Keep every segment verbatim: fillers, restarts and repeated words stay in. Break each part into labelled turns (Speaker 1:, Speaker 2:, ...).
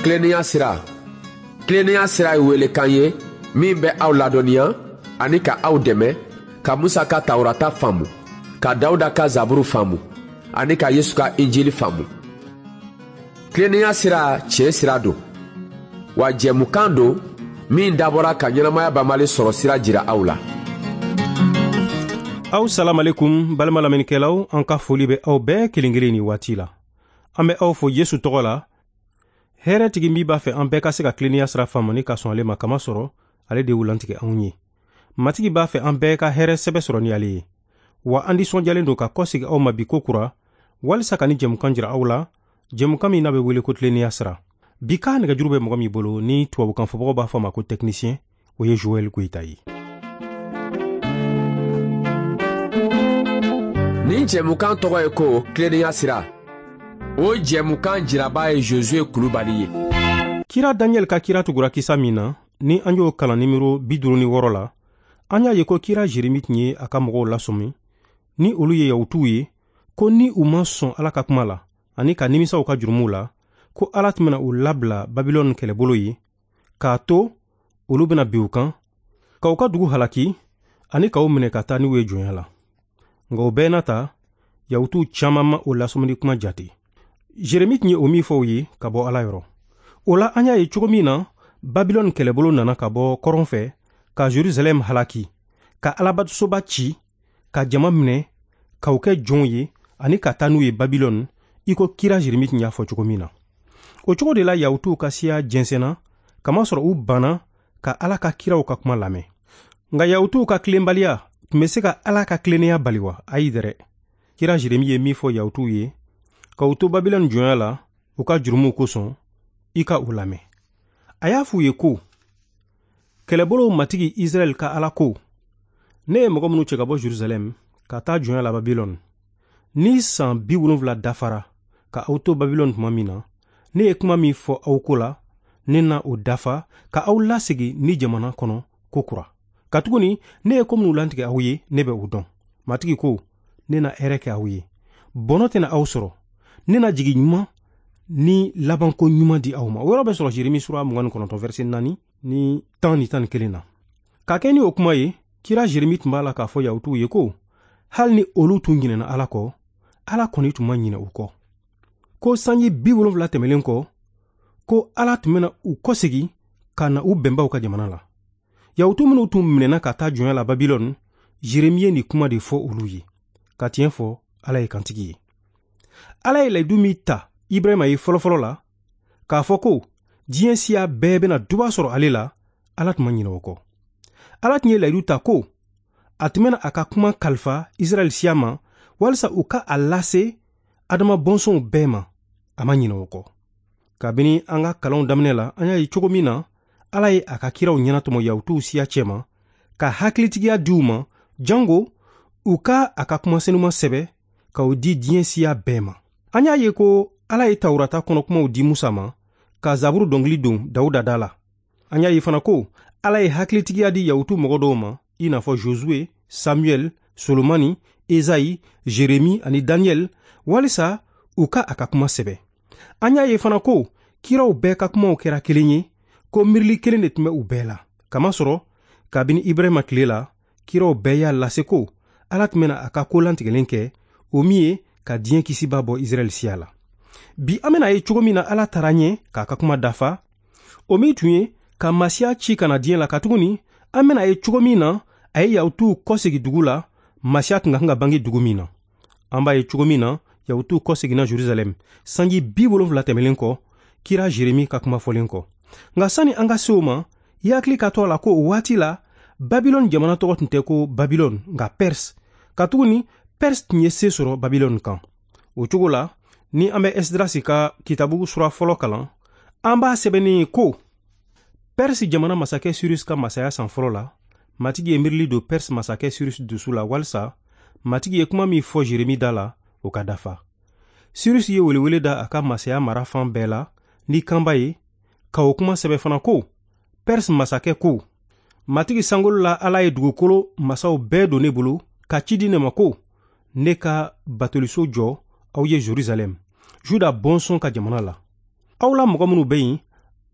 Speaker 1: Tilennenya sira. Tilennenya sira ye welekan ye min bɛ aw ladɔnniya ani ka aw dɛmɛ ka Musa ka Tawurata faamu, ka Dawuda ka Zaburu faamu ani ka Yesu ka Injili faamu. Tilennenya sira tiɲɛ sira don, wa jɛmukan don min dabɔra ka ɲɛnamaya banbali sɔrɔ sira jira aw la.
Speaker 2: Aw salamalekum balima lamɛnnikɛlaw, an ka foli bɛ aw bɛɛ kelen kelen nin waati la. An bɛ aw fo Yesu tɔgɔ la. Hɛrɛtigi min b'a fɛ an bɛɛ ka se ka tilennenya sira faamu ni ka sɔn ale ma, kamasɔrɔ ale de y'u lantigɛ anw ye. Matigi b'a fɛ an bɛɛ ka hɛrɛ sɛbɛ sɔrɔ ni ale ye. Wa an nisɔndiyalen don ka kɔsegin aw ma bi ko kura, walisa ka ni jɛmukan jira aw la, jɛmukan min n'a bɛ wele ko tilennenya sira. Bi ka nɛgɛjuru bɛ mɔgɔ min bolo ni tubabukan fɔbagaw b'a fɔ a ma ko technicien, o ye Joël Goyita ye.
Speaker 1: Nin jɛmukan tɔgɔ ye ko tilennenya sira. O jɛmukan jiraba ye Josué Kulubali ye.
Speaker 2: Kira Daniel ka kira tugura kisa min na, ni an y'o kalan nimero bi duuru ni wɔɔrɔ la, an y'a ye ko kira Jeremi tun ye a ka mɔgɔw lasɔmi ni olu ye Yahutuw ye, ko ni u ma sɔn Ala ka kuma la ani ka nimisa u ka jurumuw la, ko Ala tun bɛna u labila Babilɔni kɛlɛbolo ye, k'a to olu bɛna bin u kan, ka u ka dugu halaki ani k'u minɛ ka taa n'u ye jɔnya la. Nka o bɛɛ n'a ta, Yahutuw caman ma o lasɔmini kuma jate. Jeremi tun ye o min fɔ u ye ka bɔ Ala yɔrɔ. O la an y'a ye cogo min na Babilɔni kɛlɛbolo nana ka bɔ kɔrɔn fɛ ka Jerusalɛm halaki, ka Alabatosoba ci, ka jama minɛ, k'u kɛ jɔnw ye ani ka taa n'u ye Babilɔni, i ko kira Jeremi tun y'a fɔ cogo min na. O cogo de la Yahutuw ka siya jɛnsɛnna, kamasɔrɔ u banna ka Ala ka kiraw ka kuma lamɛn. Nka Yahutuw ka tilenbaliya tun bɛ se ka Ala ka tilennenya bali wa? Ayi dɛrɛ. Kira Jeremi ye min fɔ Yahutuw ye, k'u to Babilɔni jɔnya la u ka jurumuw kosɔn, i ka u lamɛn. A y'a f'u ye ko, kɛlɛbolow matigi Israɛl ka Ala ko, ne ye mɔgɔ minnu cɛ ka bɔ Jerusalɛm ka taa jɔnya la Babilɔni, ni san bi wolonfila dafara ka aw to Babilɔni tuma min na, ne ye kuma min fɔ aw ko la, ne na o dafa ka aw lasegin ni jamana kɔnɔ ko kura. Katuguni ne ye ko minnu lantigɛ aw ye, ne bɛ o dɔn. Matigi ko, ne na hɛrɛ kɛ aw ye, bɔnɔ tɛna aw sɔrɔ, ne na jigi ɲuman ni labanko ɲuman di aw ma. O yɔrɔ bɛ sɔrɔ Jeremi sura mugan ni kɔnɔntɔn verset naani ni tan ni tan ni kelen na. Ka kɛ ni o kuma ye, kira Jeremi tun b'a la k'a fɔ Yahutuw ye ko hali ni olu tun ɲinɛna Ala kɔ, Ala kɔni tun ma ɲinɛ u kɔ. Ko sanji bi wolonfila tɛmɛlen kɔ, ko Ala tun bɛna u kɔsegin ka na u bɛnbaw ka jamana la. Yahutu minnu tun minɛna ka taa jɔnya la Babilɔni, Jeremi ye nin kuma de fɔ olu ye. Ka tiɲɛ fɔ, Ala ye kantigi ye. Ala ye layidu min ta Ibrahima ye fɔlɔfɔlɔ la, k'a fɔ ko diɲɛ siya bɛɛ bɛna duba sɔrɔ ale la, Ala tun ma ɲinɛ o kɔ. Ala tun ye layidu ta ko a tun bɛna a ka kuma kalifa Israɛl siya ma walisa u ka a lase Adama bɔnsɔnw bɛɛ ma, a ma ɲinɛ o kɔ. Kabini an ka kalanw daminɛ la, an y'a ye cogo min na Ala ye a ka kiraw ɲɛnatɔmɔ Yahutuw siya cɛma, ka hakilitigiya di u ma, jango u ka a ka kuma senuma sɛbɛ k'o di diɲɛ siya bɛɛ ma. An y'a ye ko Ala ye Tawurata kɔnɔ kumaw di Musa ma, ka Zaburu dɔnkili don Dawuda da la. An y'a ye fana ko Ala ye hakilitigiya di Yahutu mɔgɔ dɔw ma, i n'a fɔ Josue, Samuel, Solomani, Ezayi, Jeremi ani Daniel, walisa u ka a ka kuma sɛbɛ. An y'a ye fana ko kiraw bɛɛ ka kumaw kɛra kelen ye, ko miirili kelen de tun bɛ u bɛɛ la. Kamasɔrɔ kabini Ibrahima tile la, kiraw bɛɛ y'a lase ko Ala tun bɛna a ka ko lantigɛlen kɛ, o min ye ka diɲɛ kisiba bɔ Israɛl siya la. Bi an bɛna ye cogo min na Ala taara ɲɛ k'a ka kuma dafa, o min tun ye ka Masiya ci ka na diɲɛ la, katuguni an bɛna ye cogo min na a ye Yahutuw kɔsegin dugu la, Masiya tun ka kan ka bange dugu min na. An b'a ye cogo min na Yahutuw kɔseginna Jerusalɛm sanji bi wolonfila tɛmɛlen kɔ, kira Jeremi ka kuma fɔlen kɔ. Nka sani an ka se o ma, i hakili ka to a la ko o waati la Babilɔni jamana tɔgɔ tun tɛ ko Babilɔni, nka Perse. Katuguni Perse tun ye se sɔrɔ Babilɔni kan. O cogo la, ni an bɛ Esdrasi ka kitabu sura fɔlɔ kalan, an b'a sɛbɛnnen ye ko Perse jamana masakɛ Sirus ka masaya san fɔlɔ la, Matigi ye miirili don Perse masakɛ Sirus dusu la walisa Matigi ye kuma min fɔ Jeremi da la, o ka dafa. Sirus ye welewele da a ka masaya mara fan bɛɛ la ni kanba ye, ka o kuma sɛbɛ fana ko Perse masakɛ ko, Matigi sankolo la Ala ye dugukolo masaw bɛɛ don ne bolo ka ci di ne ma ko ne ka batoliso jɔ aw ye Jerusalɛm, Juda bɔnsɔn ka jamana la. Aw la mɔgɔ minnu bɛ yen,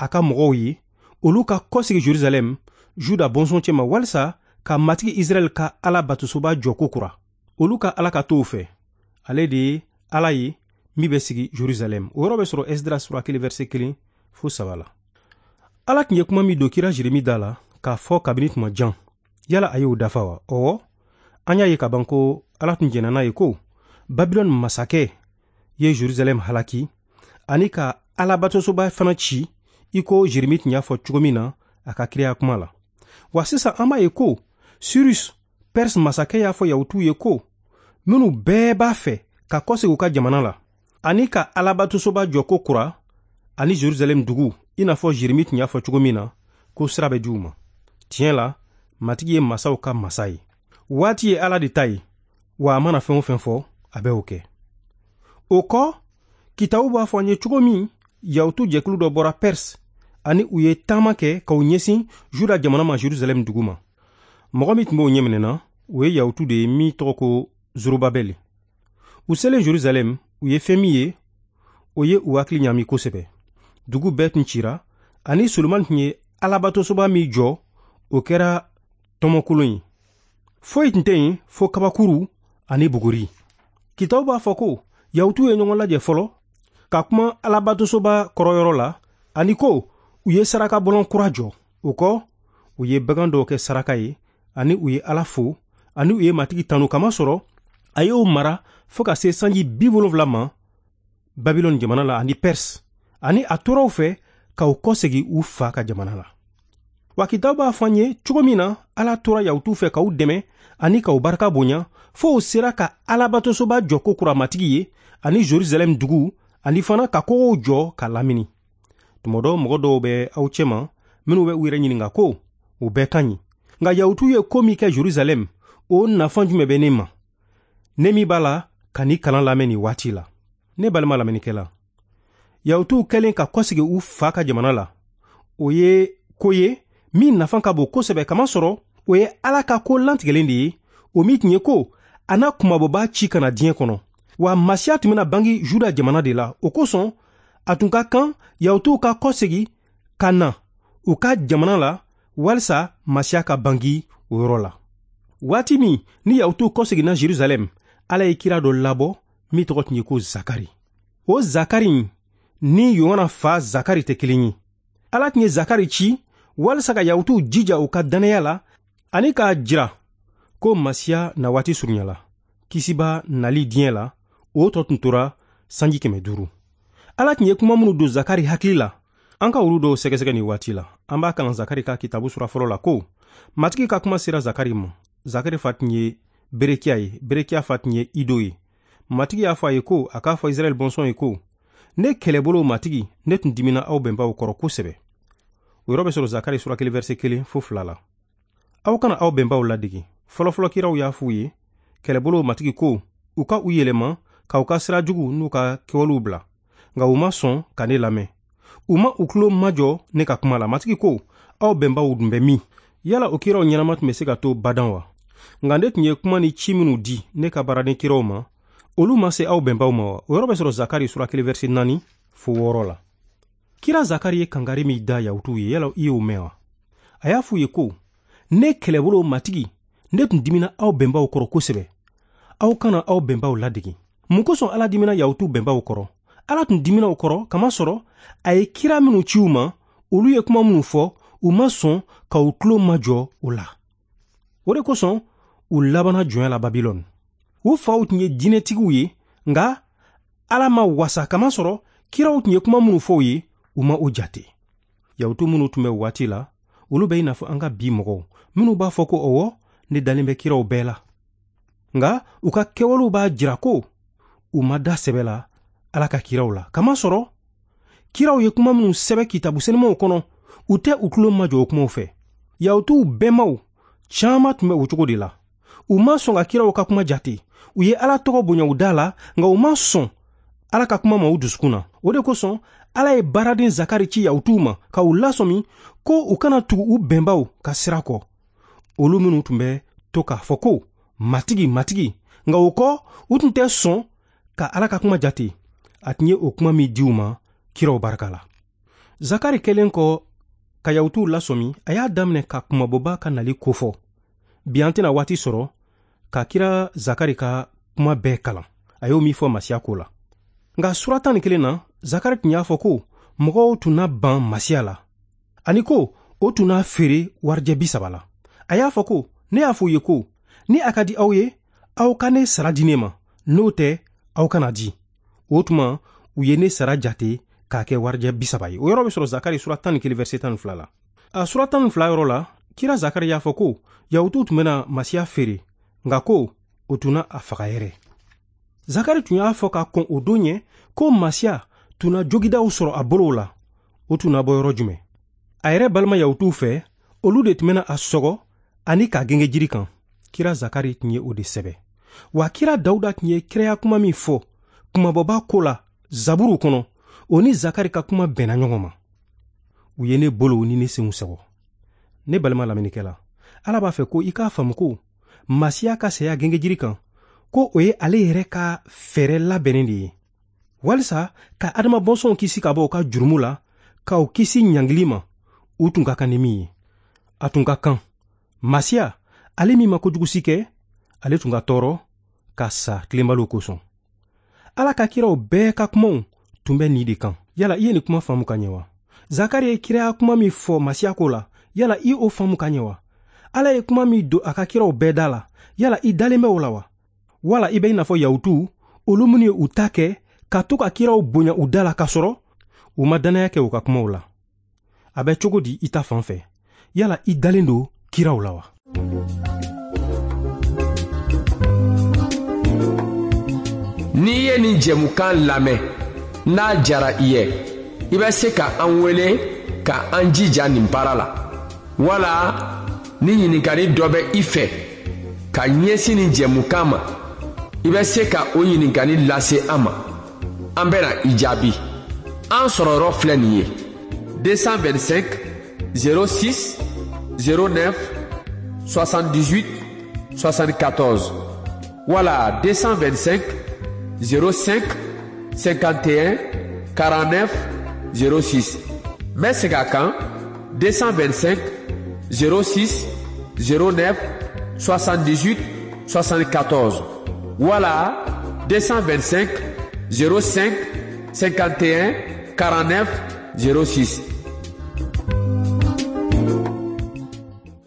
Speaker 2: a ka mɔgɔw ye olu ka kɔsegi Jerusalɛm Juda bɔnsɔn cɛma walisa ka Matigi Israɛl ka Ala batosoba jɔ ko kura. Olu ka Ala ka to fɛ, ale de ye Ala ye min bɛ sigi Jerusalɛm. O yɔrɔ bɛ sɔrɔ Esdras sura kelen verset kelen fo saba la. Ala tun ye kuma min don kira Jeremi da la k'a fɔ kabini tuma jan, yala a y'o dafa wa? Ɔwɔ, an y'a ye ka ban ko Ala tun jɛnna n'a ye ko Babilɔni masakɛ ye Jerusalɛm halaki ani ka Alabatosoba fana ci i ko Jeremi tun y'a fɔ cogo min na a ka kiraya kuma la. Wa sisan an b'a ye ko Cyrus Perse masakɛ y'a fɔ Yahutuw ye ko minnu bɛɛ b'a fɛ ka kɔsegin u ka jamana la ani ka Alabatosoba jɔ ko kura ani Jerusalɛm dugu i n'a fɔ Jeremi tun y'a fɔ cogo min na ko sira bɛ di u ma. Tiɲɛ la, Matigi ye masaw ka masa ye. Waati ye Ala de ta ye, wa a mana fɛn o fɛn fɔ, a bɛ o kɛ. O kɔ, kitabu b'a fɔ an ye cogo min Yahutu jɛkulu dɔ bɔra Perse ani u ye taama kɛ k'u ɲɛsin Juda jamana ma Jerusalɛm dugu ma. Mɔgɔ min tun b'o ɲɛminɛ na, o ye Yahutu de ye min tɔgɔ ko Zorobabɛli. U selen Jerusalɛm, u ye fɛn min ye, o ye u hakili ɲaami kosɛbɛ. Dugu bɛɛ tun cira, ani Solomani tun ye Alabatosoba min jɔ, o kɛra tɔmɔkolon ye. Foyi tun tɛ yen fo kabakuru ani buguri. Kitabu b'a fɔ ko Yahutuw ye ɲɔgɔn lajɛ fɔlɔ ka kuma Alabatosoba kɔrɔyɔrɔ la, ani ko u ye sarakabɔlɔn kura jɔ. O kɔ, u ye bagan dɔw kɛ saraka ye, ani u ye Ala fo, ani u ye Matigi tanu kamasɔrɔ a y'o mara fo ka se sanji bi wolonwula ma Babilɔni jamana la ani Perse, ani a tora u fɛ ka u kɔsegin u fa ka jamana la. Wa kitabu b'a fɔ an ye cogo min na Ala tora Yahutuw fɛ k'u dɛmɛ ani k'u barika bonya fo u sera ka Alabatosoba jɔ ko kura Matigi ye ani Jerusalɛm dugu, ani fana ka kogow jɔ ka lamini. Tuma dɔ mɔgɔ dɔw bɛ aw cɛma minnu bɛ u yɛrɛ ɲininka ko o bɛɛ ka ɲi, nka Yahutu ye ko min kɛ Jerusalɛm, o nafa jumɛn bɛ ne ma, ne min b'a la ka ni kalan lamɛn nin waati la? Ne balima lamɛnnikɛla, Yahutuw kɛlen ka kɔsegin u fa ka jamana la, o ye ko ye min nafa ka bon kosɛbɛ, kamasɔrɔ o ye Ala ka ko lantigɛlen de ye, o min tun ye ko a n'a kunmabɔbaa ci ka na diɲɛ kɔnɔ. Wa Masiya tun bɛna bange Juda jamana de la. O kosɔn a tun ka kan Yahutuw ka kɔsegin ka na u ka jamana la walisa Masiya ka bange o yɔrɔ la. Waati min ni Yahutuw kɔseginna Jerusalɛm, Ala ye kira dɔ labɔ min tɔgɔ tun ye ko Zakari. O Zakari ni Yohana fa Zakari tɛ kelen ye. Ala tun ye Zakari ci walisa ka Yahutuw jija u ka dannaya la ani k'a jira ko Masiya na waati surunyala. Kisiba nali diɲɛ la, o tɔ tun tora sanji kɛmɛ duuru. Ala tun ye kuma minnu don Zakari hakili la, an ka olu dɔw sɛgɛsɛgɛ nin waati la. An b'a kalan Zakari ka kitabu sura fɔlɔ la ko Matigi ka kuma sera Zakari ma. Zakari fa tun ye Berekiya ye, Berekiya fa tun ye Ido ye. Matigi y'a fɔ a ye ko a k'a fɔ Israɛl bɔnsɔn ye ko ne kɛlɛbolo Matigi, ne tun dimina aw bɛnbaw kɔrɔ kosɛbɛ. O yɔrɔ bɛ sɔrɔ Zakari sura kelen verset kelen fo fila la. Aw kana aw bɛnbaw ladege. Fɔlɔfɔlɔ kiraw y'a f'u ye kɛlɛbolo Matigi ko u ka u yɛlɛma k'aw ka sira jugu n'u ka kɛwalew bila, nka u ma sɔn ka ne lamɛn. U ma u tulo majɔ ne ka kuma la. Matigi ko aw bɛnbaw dun bɛ min? Yala o kiraw ɲɛnama tun bɛ se ka to badan wa? Nka ne tun ye kuma ni ci minnu di ne ka baaraden kiraw ma, olu ma se aw bɛnbaw ma wa? O yɔrɔ bɛ sɔrɔ Zakari sura kelen verset naani fo wɔɔrɔ la. Kira Zakari ye kangari min da Yahutuw ye, yala i y'o mɛn wa? A y'a f'u ye ko ne kɛlɛbolo Matigi, ne tun dimina aw bɛnbaw kɔrɔ kosɛbɛ. Aw kana aw bɛnbaw ladege. Mun kosɔn Ala dimina Yahutu bɛnbaw kɔrɔ? Ala tun dimina u kɔrɔ kamasɔrɔ a ye kira minnu ci u ma, olu ye kuma minnu fɔ, u ma sɔn ka u tulo majɔ o la. O de kosɔn u labanna jɔnya la Babilɔni. U faw tun ye diinɛtigiw ye, nka Ala ma wasa kamasɔrɔ kiraw tun ye kuma minnu fɔ u ye, u ma o jate. Yahutu minnu tun bɛ waati la, olu bɛ i n'a fɔ an ka bi mɔgɔw minnu b'a fɔ ko ɔwɔ, ne dalen bɛ kiraw bɛɛ la. Nka u ka kɛwalew b'a jira ko u ma da sɛbɛ la Ala ka kiraw la. Kamasɔrɔ kiraw ye kuma minnu sɛbɛ kitabu sɛnɛmaw kɔnɔ, u tɛ u tulo majɔ o kumaw fɛ. Yahutuw bɛnbaw caman tun bɛ o cogo de la. U ma sɔn ka kiraw ka kuma jate. U ye Ala tɔgɔ bonya u da la, nka u ma sɔn Ala ka kuma ma u dusukun na. O de kosɔn Ala ye baaraden Zakari ci Yahutuw ma ka u lasɔmi ko u kana tugu u bɛnbaw ka sira kɔ, olu minnu tun bɛ to k'a fɔ ko Matigi, Matigi, nka o kɔ u tun tɛ sɔn ka Ala ka kuma jate. A tun ye o kuma min di u ma kiraw barika la. Zakari kɛlen kɔ ka Yahutuw lasɔmi, a y'a daminɛ ka kumabɔba ka nali kofɔ. Bi an tɛna waati sɔrɔ ka kira Zakari ka kuma bɛɛ kalan, a y'o min fɔ Masiya ko la. Nka sura tan ni kelen na, Zakari tun y'a fɔ ko mɔgɔw tun na ban Masiya la, ani ko o tun n'a feere warijɛ bi saba la. A y'a fɔ ko ne y'a fɔ u ye ko ni a ka di aw ye, aw ka ne sara di ne ma, n'o tɛ aw kana di. O tuma u ye ne sara jate k'a kɛ warijɛ bi saba ye. O yɔrɔ bɛ sɔrɔ Zakari sura tan ni kelen verset tan ni fila la. A sura tan ni fila yɔrɔ la, kira Zakari y'a fɔ ko Yahutuw tun bɛna Masiya feere, nka ko o tun na a faga yɛrɛ. Zakari tun y'a fɔ ka kɔn o don ɲɛ ko Masiya tun na jogidaw sɔrɔ a bolow la. O tun na bɔ yɔrɔ jumɛn? A yɛrɛ balima Yahutuw fɛ, olu de tun bɛna a sɔgɔ ani k'a genge jiri kan. Kira Zakari tun ye o de sɛbɛ. Wa kira Dawuda tun ye kiraya kuma min fɔ kumabɔba ko la Zaburu kɔnɔ, o ni Zakari ka kuma bɛnna ɲɔgɔn ma. U ye ne bolow ni ne senw sɔgɔ. Ne balima lamɛnnikɛla, Ala b'a fɛ ko i k'a faamu ko Masiya ka saya gengejiri kan, ko o ye ale yɛrɛ ka fɛɛrɛ labɛnnen de ye, walisa ka adama bɔnsɔnw kisi ka bɔ u ka jurumu la, k'aw kisi ɲangili ma, u tun ka kan ni min ye. A tun ka kan Masiya, ale min ma kojugu si kɛ, ale tun ka tɔɔrɔ ka sa tilenbaliw kosɔn. Ala ka kiraw bɛɛ ka kumaw tun bɛ nin de kan. Yala i ye nin kuma faamu ka ɲɛ wa? Zakari ye kiraya kuma min fɔ Masiya ko la, yala i o faamu ka ɲɛ wa? Ala ye kuma min don a ka kiraw bɛɛ da la, yala i dalen bɛ o la wa? Wala i bɛ i n'a fɔ Yahutuw, olu minnu ye u ta kɛ ka to ka kiraw bonya u da la k'a sɔrɔ u ma dannaya kɛ u ka kumaw la. A bɛ cogo di i ta fan fɛ? Yala i dalen don kiraw la wa?
Speaker 1: N'i ye nin jɛmukan lamɛn, n'a diyara i ye, i bɛ se ka an wele ka an jija nin baara la. Wala ni ɲininkali dɔ bɛ i fɛ ka ɲɛsin nin jɛmukan ma, i bɛ se ka o ɲininkali lase an ma. An bɛna i jaabi. An sɔrɔ yɔrɔ filɛ nin ye: deux cent vingt-cinq zéro six zéro neuf soixante-dix-huit soixante-quatorze wala deux cent vingt-cinq zéro cinq cinquante et un quarante-neuf zéro six. N bɛ segin a kan: deux cent vingt-cinq zéro six zéro neuf soixante-dix-huit soixante-quatorze wala deux cent vingt-cinq zéro cinq cinquante et un quarante-neuf zéro six.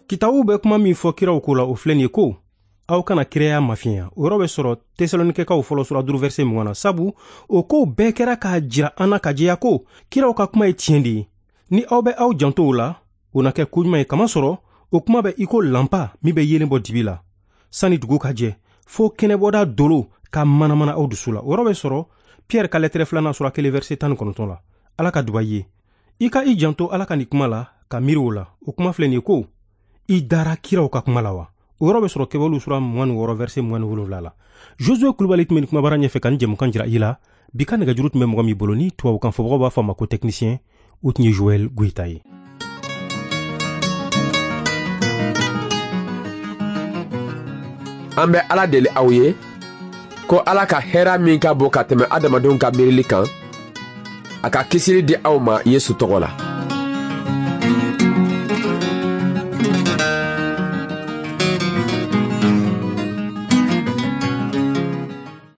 Speaker 2: Kitabu bɛ kuma min fɔ kiraw ko la, o filɛ nin ye ko aw kana kiraya mafiɲɛya. O yɔrɔ bɛ sɔrɔ Tesalonikɛkaw fɔlɔ sura duuru verset mugan na, sabu o kow bɛɛ kɛra k'a jira an na ka jɛya ko kiraw ka kuma ye tiɲɛ de ye. Ni aw bɛ aw janto o la, o na kɛ koɲuman ye, kamasɔrɔ o kuma bɛ i ko lanpa min bɛ yeelen bɔ dibi la sani dugu ka jɛ, fo kɛnɛbɔda dolo ka manamana aw dusu la. O yɔrɔ bɛ sɔrɔ Pierre ka lɛtɛrɛ filanan sura kelen verset tan ni kɔnɔntɔn la. Ala ka duba i ye. I ka i janto Ala ka nin kuma la ka miiri o la. O kuma filɛ nin ye ko i dara kiraw ka kuma la wa? O yɔrɔ bɛ sɔrɔ Kɛwalew sura mugan ni wɔɔrɔ verset mugan ni wolonwula la. Josué Kulubali tun bɛ nin kumabara ɲɛfɛ ka nin jɛmukan jira i la. Bi ka nɛgɛjuru tun bɛ mɔgɔ min bolo ni tubabukan fɔbagaw b'a fɔ a ma ko technicien, o tun ye Joël Goïta ye.
Speaker 1: An bɛ Ala deli aw ye ko Ala ka hɛrɛ min ka bon ka tɛmɛ adamadenw ka miirili kan, a ka kisili di aw ma Yesu tɔgɔ la.